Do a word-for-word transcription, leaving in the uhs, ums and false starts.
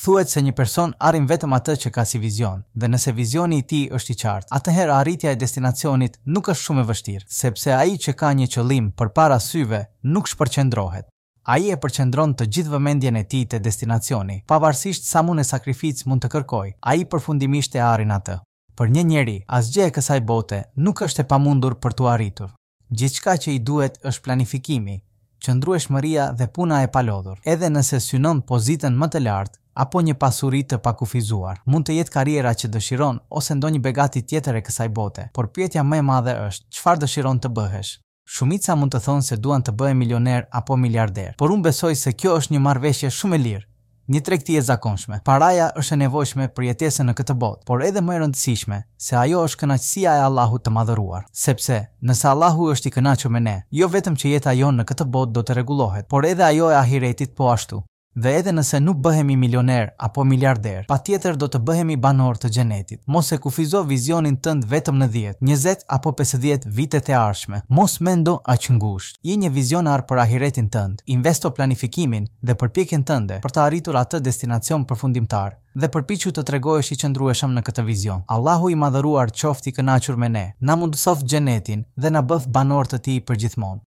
Thuhet se një person arrin vetëm atë që ka si vizion, dhe nëse vizioni i tij është i qartë, atëherë arritja e destinacionit nuk është shumë e vështirë, sepse ai që ka një qëllim përpara syve nuk shpërqendrohet. Ai e përqendron të gjithë vëmendjen e tij te destinacioni, pavarësisht sa mund e sakrificë mund të kërkojë, ai përfundimisht e arrin atë. Për një njeri, asgjë e kësaj bote nuk është e pamundur për t'u arritur. Gjithçka që i duhet është planifikimi, qëndrueshmëria dhe puna e palodhur. Edhe nëse synon pozitën më të lartë apo një pasuri të pakufizuar, mund të jetë karriera që dëshiron ose ndonjë begati tjetër e kësaj bote, por pyetja më e madhe është, çfarë dëshiron të bëhesh? Shumica mund të thonë se duan të bëhen milioner apo miliarder, por unë besoj se kjo është një marrëveshje shumë e lirë, një tregti e zakonshme. Paraja është e nevojshme për jetesën në këtë botë, por edhe më e rëndësishme se ajo është kënaqësia e Allahut të madhëruar. Sepse, nëse Allahu është i kënaqur me ne, jo vetëm që jeta jonë në këtë botë do të rregullohet, por edhe ajo e ahiretit po ashtu. Dhe edhe nëse nuk bëhemi milioner apo miliarder, patjetër do të bëhemi banorë të xhenetit. Mos e kufizo vizionin tënd vetëm në dhjetë, njëzet apo pesëdhjetë vitet e ardhshme. Mos mendo aq ngushtë. Je një vizionar për ahiretin tënd. Investo planifikimin dhe përpjekjen tënde për të arritur atë destinacion përfundimtar dhe përpiqu të tregohesh i qëndrueshëm në këtë vizion. Allahu i madhëruar qoftë i kënaqur me ne, na mundësoftë xhenetin dhe na bëftë banorë të tij përgjithmonë.